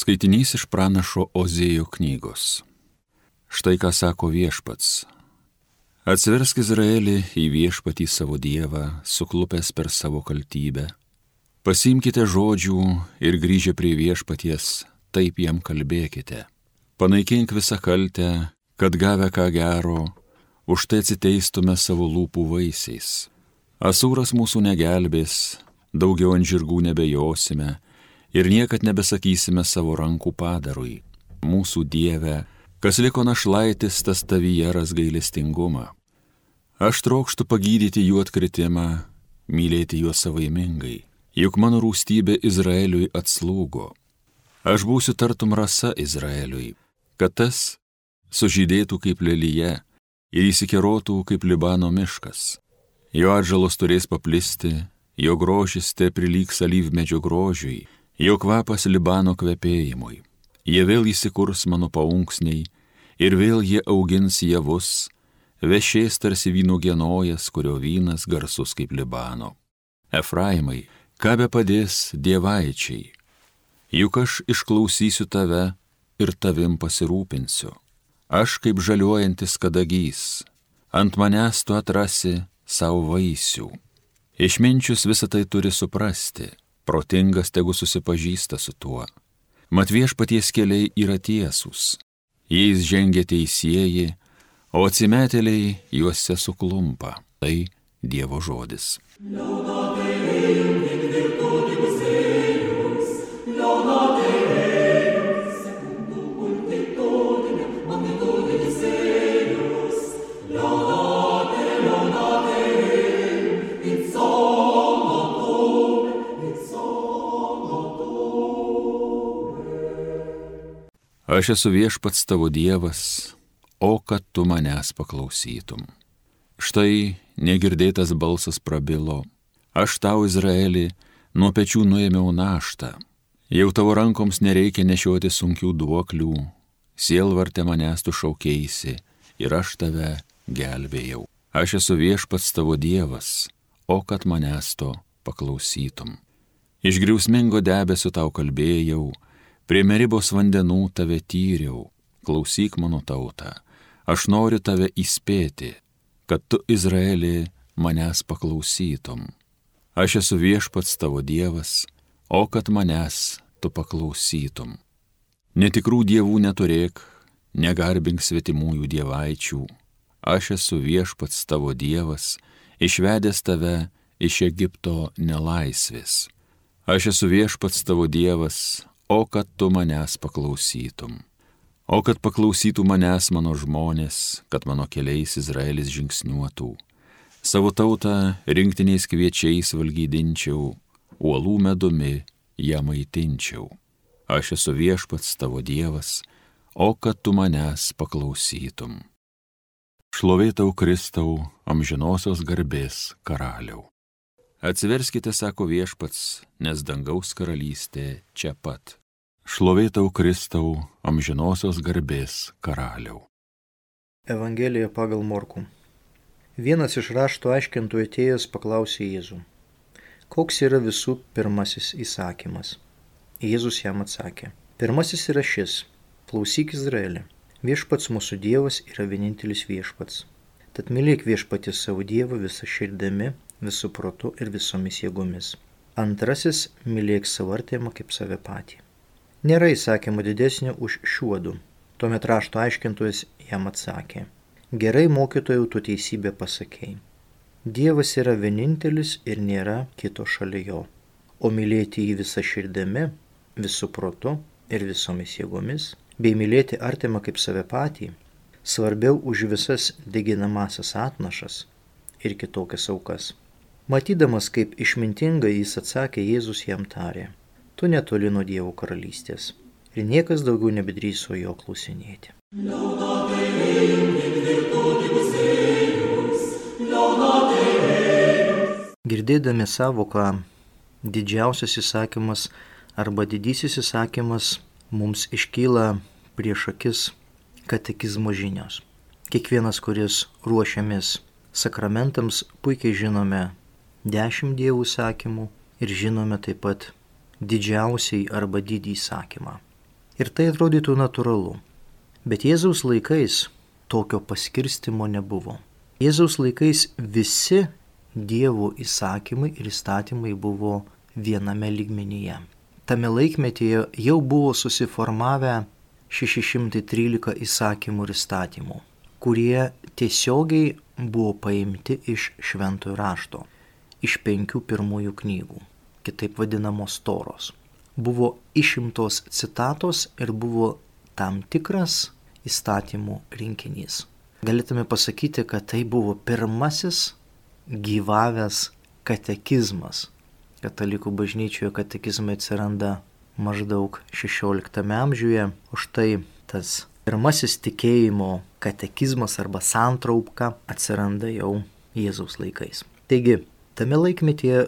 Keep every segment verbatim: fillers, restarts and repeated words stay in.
Skaitinys iš pranašo Ozėjo knygos. Štai ką sako Viešpats. Atsiversk Izraelį į Viešpatį savo Dievą, suklupęs per savo kaltybę. Pasiimkite žodžių ir grįžę prie Viešpaties, taip jam kalbėkite. Panaikink visą kaltę, kad gavę ką gero, už tai atsiteistume savo lūpų vaisiais. Asūras mūsų negelbės, daugiau ant žirgų nebejosime ir niekad nebesakysime savo rankų padarui. Mūsų Dieve, kas liko našlaitis, tas tavyje ras gailestingumą. Aš trokštu pagydyti jų atkritimą, mylėti juos savaimingai, juk mano rūstybė Izraeliui atslūgo. Aš būsiu tartum rasa Izraeliui, kad tas sužydėtų kaip lelyje ir įsikerotų kaip Libano miškas. Jo atžalos turės paplisti, jo grožis te prilygs alyvmedžio grožiui, jo kvapas Libano kvepėjimui. Jie vėl įsikurs mano paunksniai ir vėl jie augins javus, vešės tarsi vyno genojas, kurio vynas garsus kaip Libano. Efraimai, ką be padės dievaičiai, juk aš išklausysiu tave ir tavim pasirūpinsiu. Aš kaip žaliuojantis kadagys, ant manęs tu atrasi savo vaisių. Išminčius visą tai turi suprasti, protingas tegu susipažįsta su tuo. Mat Viešpaties keliai yra tiesūs, jais žengia teisieji, o atsimetėliai juose suklumpa. Tai Dievo žodis. Aš esu Viešpats tavo Dievas, o kad tu manęs paklausytum. Štai negirdėtas balsas prabilo. Aš tau, Izraeli, nuo pečių nuėmiau naštą. Jau tavo rankoms nereikia nešioti sunkių duoklių. Sielvarte manęs tu šaukėisi ir aš tave gelbėjau. Aš esu Viešpats tavo Dievas, o kad manęs to paklausytum. Iš griausmingo debesio tau kalbėjau, prie Meribos vandenų tave tyriau. Klausyk mano tautą, aš noriu tave įspėti, kad tu, Izraeli, manęs paklausytum. Aš esu Viešpats tavo Dievas, o kad manęs tu paklausytum. Netikrų dievų neturėk, negarbink svetimųjų dievaičių. Aš esu Viešpats tavo Dievas, išvedęs tave iš Egipto nelaisvės. Aš esu Viešpats tavo Dievas, o kad tu manęs paklausytum. O kad paklausytų manęs mano žmonės, kad mano keliais Izraelis žingsniuotų. Savo tautą rinktiniais kviečiais valgydinčiau, uolų medumi ją maitinčiau. Aš esu Viešpats tavo Dievas, o kad tu manęs paklausytum. Šlovė tau Kristau, amžinosios garbės karaliau. Atsiverskite, sako Viešpats, nes dangaus karalystė čia pat. Šlovė tau Kristau, amžinosios garbės karaliau. Evangelija pagal Morkų. Vienas iš rašto aiškintojų atėjęs paklausė Jėzų: koks yra visų pirmasis įsakymas? Jėzus jam atsakė: pirmasis yra šis: klausyk Izraeli, Viešpats mūsų Dievas yra vienintelis Viešpats. Tad mylėk Viešpatį savo Dievą visą širdimi, visų protu ir visomis jėgomis. Antrasis: mylėk savo artimą kaip save patį. Nėra įsakymo didesnio už šiuodu. Tuomet rašto aiškintojas jam atsakė: gerai, mokytojau, tu teisybę pasakei. Dievas yra vienintelis ir nėra kito šalia jo. O mylėti jį visą širdimi, visų protu ir visomis jėgomis, bei mylėti artimą kaip save patį, svarbiau už visas deginamasias atnašas ir kitokias aukas. Matydamas, kaip išmintingai jis atsakė, Jėzus jam tarė: tu netoli nuo Dievo karalystės. Ir niekas daugiau nebedrįso jo klausinėti. Girdėdami savoką didžiausias įsakymas arba didysis įsakymas, mums iškyla prieš akis katekizmo žinios. Kiekvienas, kuris ruošiamės sakramentams, puikiai žinome dešimt dievų įsakymų ir žinome taip pat didžiausiai arba didį įsakymą. Ir tai atrodytų natūralu. Bet Jėzaus laikais tokio paskirstimo nebuvo. Jėzaus laikais visi Dievo įsakymai ir įstatymai buvo viename lygmenyje. Tame laikmetyje jau buvo susiformavę šeši šimtai trylika įsakymų ir įstatymų, kurie tiesiogiai buvo paimti iš šventojo rašto, iš penkių pirmųjų knygų, kitaip vadinamos Toros. Buvo išimtos citatos ir buvo tam tikras įstatymų rinkinys. Galėtume pasakyti, kad tai buvo pirmasis gyvavęs katekizmas. Katalikų bažnyčioje katekizmai atsiranda maždaug šešioliktame amžiuje, o štai tas pirmasis tikėjimo katekizmas arba santraupka atsiranda jau Jėzaus laikais. Taigi, tame laikmetyje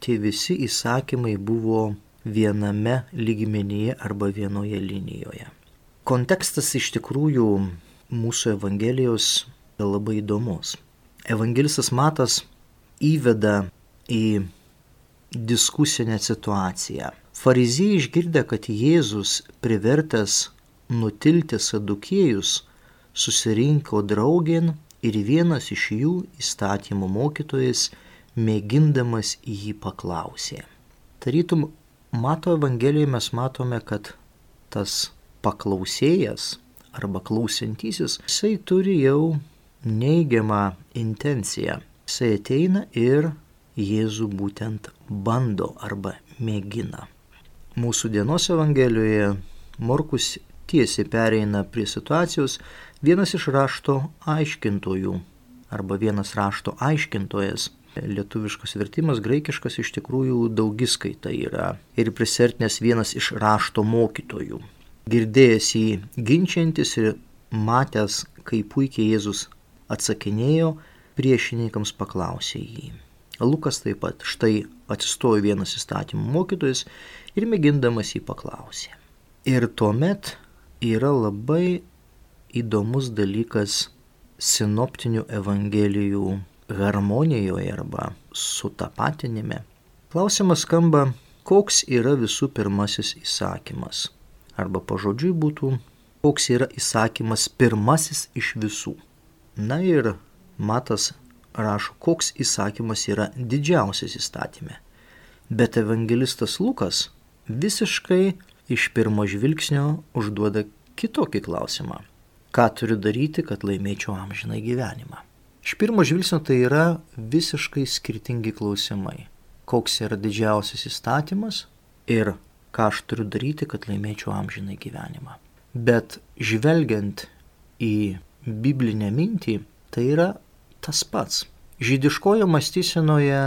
tie visi įsakymai buvo viename lygmenyje arba vienoje linijoje. Kontekstas iš tikrųjų mūsų Evangelijos yra labai įdomus. Evangelistas Matas įveda į diskusinę situaciją. Fariziejai išgirdę, kad Jėzus privertęs nutilti sadukiejus, susirinko draugėn ir vienas iš jų, įstatymų mokytojas, mėgindamas jį paklausė. Tarytum, Mato Evangelijoje mes matome, kad tas paklausėjas arba klausintysis, jisai turi jau neigiamą intenciją. Jisai ateina ir Jėzų būtent bando arba mėgina. Mūsų dienos Evangelijoje Morkus tiesiai pereina prie situacijos, vienas iš rašto aiškintojų arba vienas rašto aiškintojas. Lietuviškas vertimas, graikiškas iš tikrųjų daugiskaita yra ir prisertinės vienas iš rašto mokytojų. Girdėjęs jį ginčiantis ir matęs, kaip puikiai Jėzus atsakinėjo, priešininkams paklausė jį. Lukas taip pat, štai atsistojo vienas įstatymų mokytojas ir mėgindamas jį paklausė. Ir tuomet yra labai įdomus dalykas sinoptinių evangelijų harmonijoje arba sutapatinime. Klausimas skamba, koks yra visų pirmasis įsakymas. Arba pažodžiui būtų, koks yra įsakymas pirmasis iš visų. Na ir Matas rašo, koks įsakymas yra didžiausias įstatyme. Bet evangelistas Lukas visiškai iš pirmo žvilgsnio užduoda kitokį klausimą. Ką turiu daryti, kad laimėčiau amžinąjį gyvenimą? Iš pirmo žvilgsnio tai yra visiškai skirtingi klausimai. Koks yra didžiausias įstatymas ir ką aš turiu daryti, kad laimėčiau amžinąjį gyvenimą. Bet žvelgiant į biblinę mintį, tai yra tas pats. Žydiškojo mąstysenoje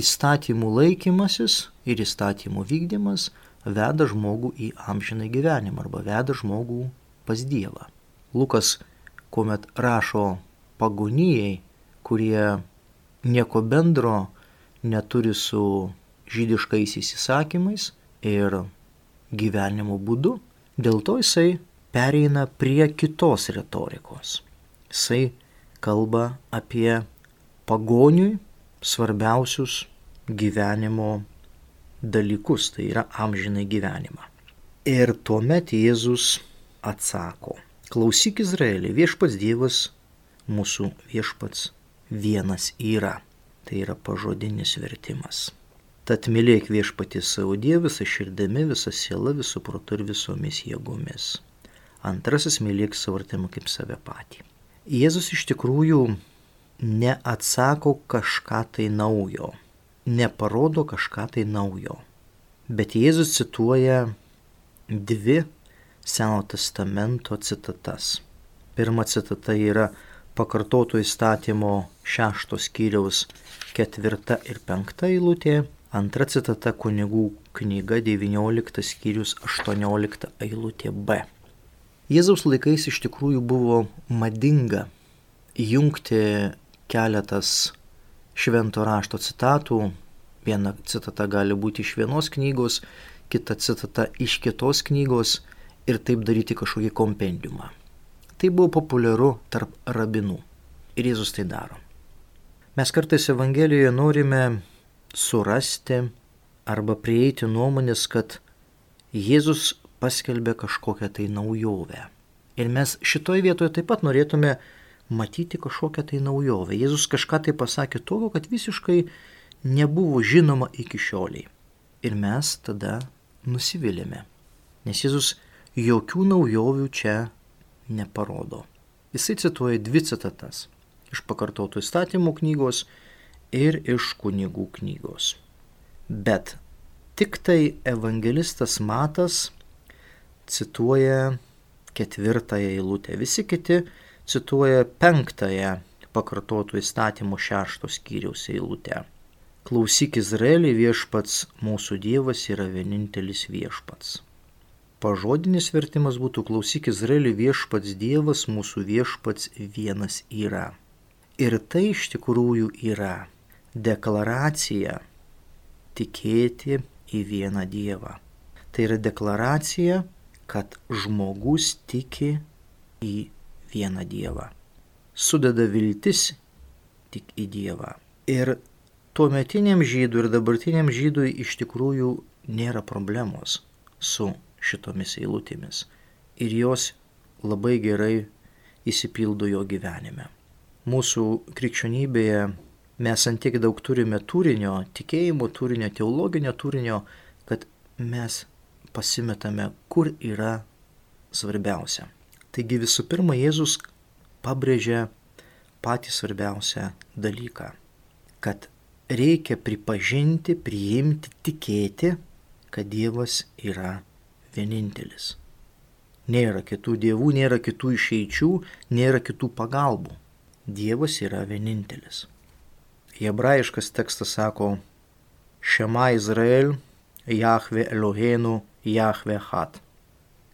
įstatymų laikymasis ir įstatymų vykdymas veda žmogų į amžinąjį gyvenimą arba veda žmogų pas Dievą. Lukas, kuomet rašo pagonijai, kurie nieko bendro neturi su žydiškaisiais įsakymais ir gyvenimo būdu, dėl to jisai pereina prie kitos retorikos. Jisai kalba apie pagoniui svarbiausius gyvenimo dalykus, tai yra amžinai gyvenimą. Ir tuomet Jėzus atsako, klausyk Izraeli, viešpats Dievas, mūsų viešpats vienas yra. Tai yra pažodinis vertimas. Tad mylėk viešpatį savo Dievą visą širdimi, visą sielą, visų protu ir visomis jėgomis. Antrasis, mylėk savo artimą kaip save patį. Jėzus iš tikrųjų neatsako kažką tai naujo, neparodo kažką tai naujo, bet Jėzus cituoja dvi Seno testamento citatas. Pirma citata yra pakartoto įstatymo šešto skyriaus ketvirta ir penkta eilutė, antra citata Kunigų knyga devynioliktas skyrius aštuoniolikta eilutė B. Jėzaus laikais iš tikrųjų buvo madinga jungti keletas švento rašto citatų. Viena citata gali būti iš vienos knygos, kita citata iš kitos knygos ir taip daryti kažkokį kompendiumą. Tai buvo populiaru tarp rabinų ir Jėzus tai daro. Mes kartais Evangelijoje norime surasti arba prieiti nuomonės, kad Jėzus paskelbė kažkokią tai naujovę. Ir mes šitoje vietoje taip pat norėtume matyti kažkokią tai naujovę. Jėzus kažką tai pasakė tokio, kad visiškai nebuvo žinoma iki šioliai. Ir mes tada nusivylėme. Nes Jėzus jokių naujovių čia neparodo. Jisai cituoja dvi citatas iš pakartotų įstatymų knygos ir iš kunigų knygos. Bet tik tai evangelistas Matas cituoja ketvirtąją eilutę. Visi kiti cituoja penktąją pakartotų įstatymų šešto skyriaus eilutę. Klausyk Izraeli, viešpats mūsų Dievas yra vienintelis viešpats. Pažodinis vertimas būtų klausyk Izraeli, viešpats Dievas mūsų viešpats vienas yra. Ir tai iš tikrųjų yra deklaracija tikėti į vieną Dievą. Tai yra deklaracija, kad žmogus tiki į vieną Dievą. Sudeda viltis tik į Dievą. Ir tuometiniam žydui ir dabartiniam žydui iš tikrųjų nėra problemos su šitomis eilutėmis. Ir jos labai gerai įsipildo jo gyvenime. Mūsų krikščionybėje mes antiek daug turime turinio, tikėjimo turinio, teologinio turinio, kad mes pasimetame, kur yra svarbiausia. Taigi visų pirma, Jėzus pabrėžia patį svarbiausią dalyką, kad reikia pripažinti, priimti, tikėti, kad Dievas yra vienintelis. Nėra kitų dievų, nėra kitų išeičių, nėra kitų pagalbų. Dievas yra vienintelis. Hebrajiškas tekstas sako: Šema Izrael, Jahve Eloheinu, Jahve Echad.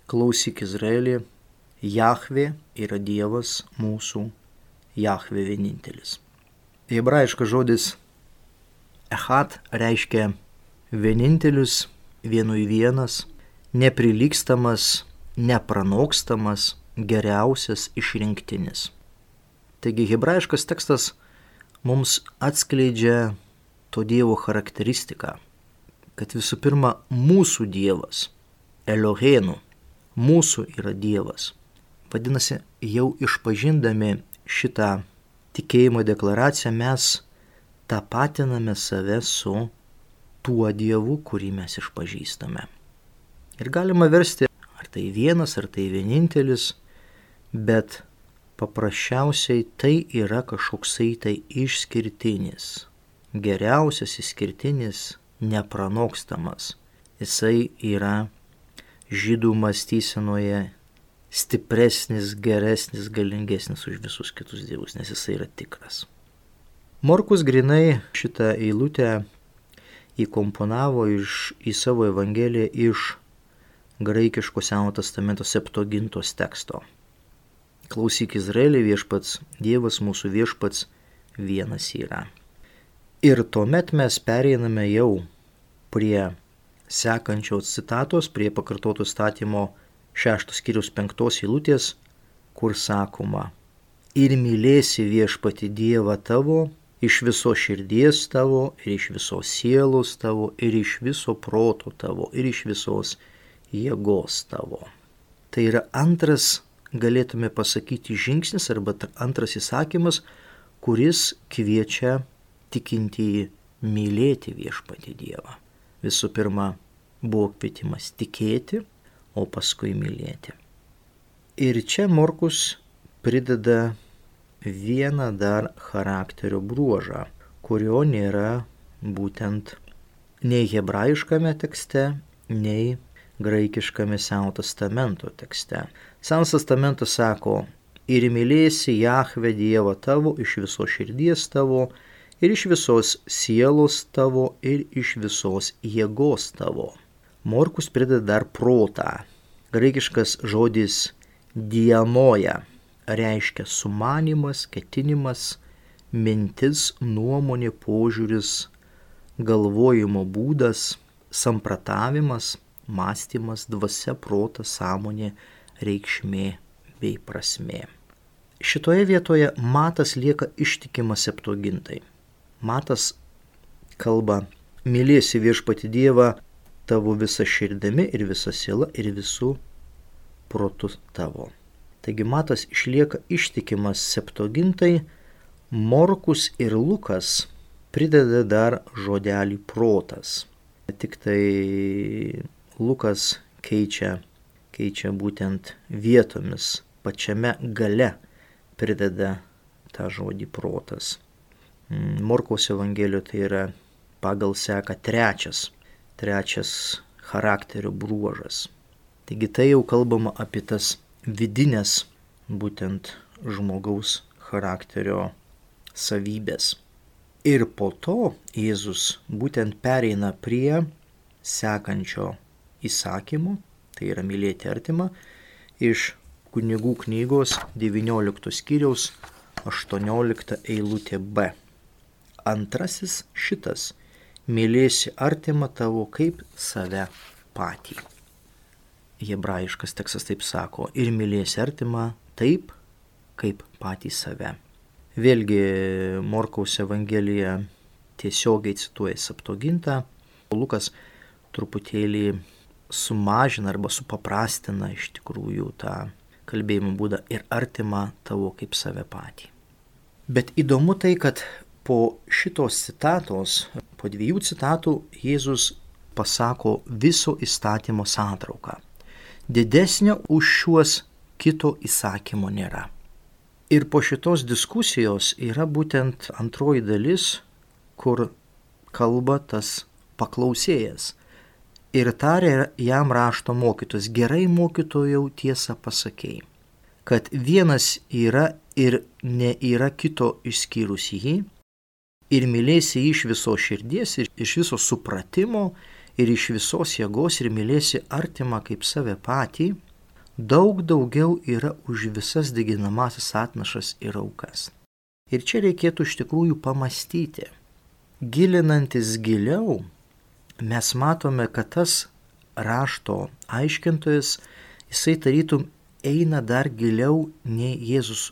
Klausyk Izraeli, Jahve yra Dievas mūsų, Jahve vienintelis. Hebrajiškas žodis Echad reiškia vienintelis, vienui vienas, neprilygstamas, nepranokstamas, geriausias, išrinktinis. Taigi hebrajiškas tekstas mums atskleidžia to Dievo charakteristiką, kad visų pirma mūsų Dievas, Eloheinu, mūsų yra Dievas. Vadinasi, jau išpažindami šitą tikėjimo deklaraciją mes tapatiname save su tuo Dievu, kurį mes išpažįstame. Ir galima versti, ar tai vienas, ar tai vienintelis, bet paprasčiausiai tai yra kažkoksai tai išskirtinis, geriausias, išskirtinis, nepranokstamas. Jisai yra žydų mąstysenoje stipresnis, geresnis, galingesnis už visus kitus dievus, nes jisai yra tikras. Morkus grinai šitą eilutę įkomponavo iš, į savo evangeliją iš graikiško Senojo testamento Septuagintos teksto. Klausyk Izraeli, viešpats Dievas mūsų viešpats vienas yra. Ir tuomet mes pereiname jau prie sekančios citatos, prie pakartoto statymo šeštos skyriaus penktos eilutės, kur sakoma: ir mylėsi viešpatį Dievą tavo iš viso širdies tavo ir iš visos sielos tavo ir iš viso proto tavo ir iš visos jėgos tavo. Tai yra antras, galėtume pasakyti, žingsnis arba antras įsakymas, kuris kviečia tikintįjį mylėti viešpatį Dievą. Visų pirma, buvo kvietimas tikėti, o paskui mylėti. Ir čia Morkus prideda vieną dar charakterio bruožą, kurio nėra būtent nei hebrajiškame tekste, nei graikiškame Senojo testamento tekste. Senas testamentas sako: ir mylėsi Jahve Dievą tavo iš visos širdies tavo ir iš visos sielos tavo ir iš visos jėgos tavo. Morkus prideda dar protą. Graikiškas žodis dianoja reiškia sumanymas, ketinimas, mintis, nuomonė, požiūris, galvojimo būdas, sampratavimas, mąstymas, dvasia, protas, sąmonė, reikšmė bei prasmė. Šitoje vietoje Matas lieka ištikimas Septuagintai. Matas kalba: mylėsi viešpatį Dievą tavo visa širdimi ir visa siela ir visų protu tavo. Taigi Matas išlieka ištikimas Septuagintai, Morkus ir Lukas prideda dar žodelį protas. Tik tai Lukas keičia, keičia būtent vietomis, pačiame gale prideda tą žodį protas. Morkaus Evangelijoje tai yra pagal seką trečias, trečias charakterio bruožas. Taigi tai jau kalbama apie tas vidinės būtent žmogaus charakterio savybės. Ir po to Jėzus būtent pereina prie sekančio įsakymo, tai yra mylėti artimą, iš Kunigų knygos devyniolikto skyriaus aštuoniolikta eilutė B. Antrasis šitas: mylėsi artimą tavo kaip save patį. Hebrajiškas tekstas taip sako: ir mylėsi artimą taip, kaip patį save. Vėlgi Morkaus Evangelija tiesiogiai cituoja Septuagintą, Lukas truputėlį sumažina arba supaprastina iš tikrųjų tą kalbėjimo būdą ir artimą tavo kaip save patį. Bet įdomu tai, kad po šitos citatos, po dviejų citatų Jėzus pasako viso įstatymo santrauką. Didesnio už šiuos kito įsakymo nėra. Ir po šitos diskusijos yra būtent antroji dalis, kur kalba tas paklausėjas. Ir tarė jam rašto mokytojas: gerai, mokytojau, tiesą pasakei, kad vienas yra ir nėra kito išskyrus jį, ir mylėsi jį iš viso širdies, ir iš viso supratimo, ir iš visos jėgos, ir mylėsi artimą kaip save patį, daug daugiau yra už visas deginamąsias atnašas ir aukas. Ir čia reikėtų iš tikrųjų pamastyti. Gilinantis giliau, mes matome, kad tas rašto aiškintojas, jisai tarytum eina dar giliau, nei Jėzus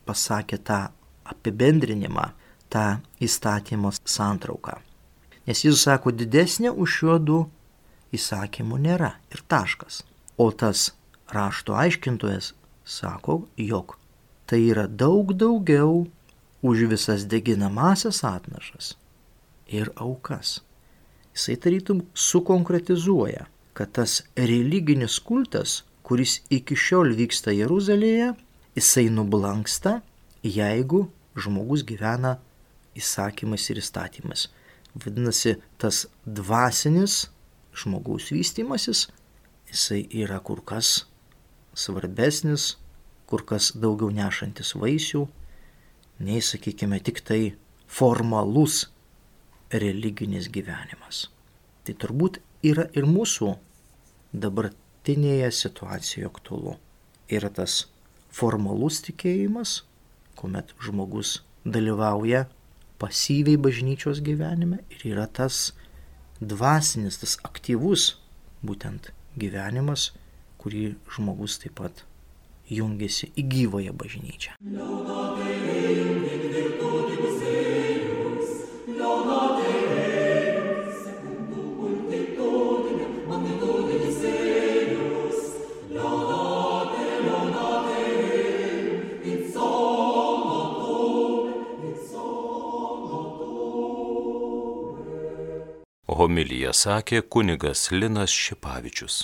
pasakė tą apibendrinimą, tą įstatymo santrauką. Nes Jėzus sako, didesnė už šiuodų įsakymų nėra ir taškas. O tas rašto aiškintojas sako, jog tai yra daug daugiau už visas deginamąsias atnašas ir aukas. Jisai tarytum sukonkretizuoja, kad tas religinis kultas, kuris iki šiol vyksta Jeruzalėje, jisai nublanksta, jeigu žmogus gyvena įsakymais ir įstatymais. Vadinasi, tas dvasinis žmogaus vystymasis, jisai yra kur kas svarbesnis, kur kas daugiau nešantis vaisių, nei, sakykime, tik tai formalus religinis gyvenimas. Tai turbūt yra ir mūsų dabartinėje situacijoje aktualu. Yra tas formalus tikėjimas, kuomet žmogus dalyvauja pasyviai bažnyčios gyvenime, ir yra tas dvasinis, tas aktyvus būtent gyvenimas, kurį žmogus taip pat jungiasi į gyvąją bažnyčią. Homiliją sakė kunigas Linas Šipavičius.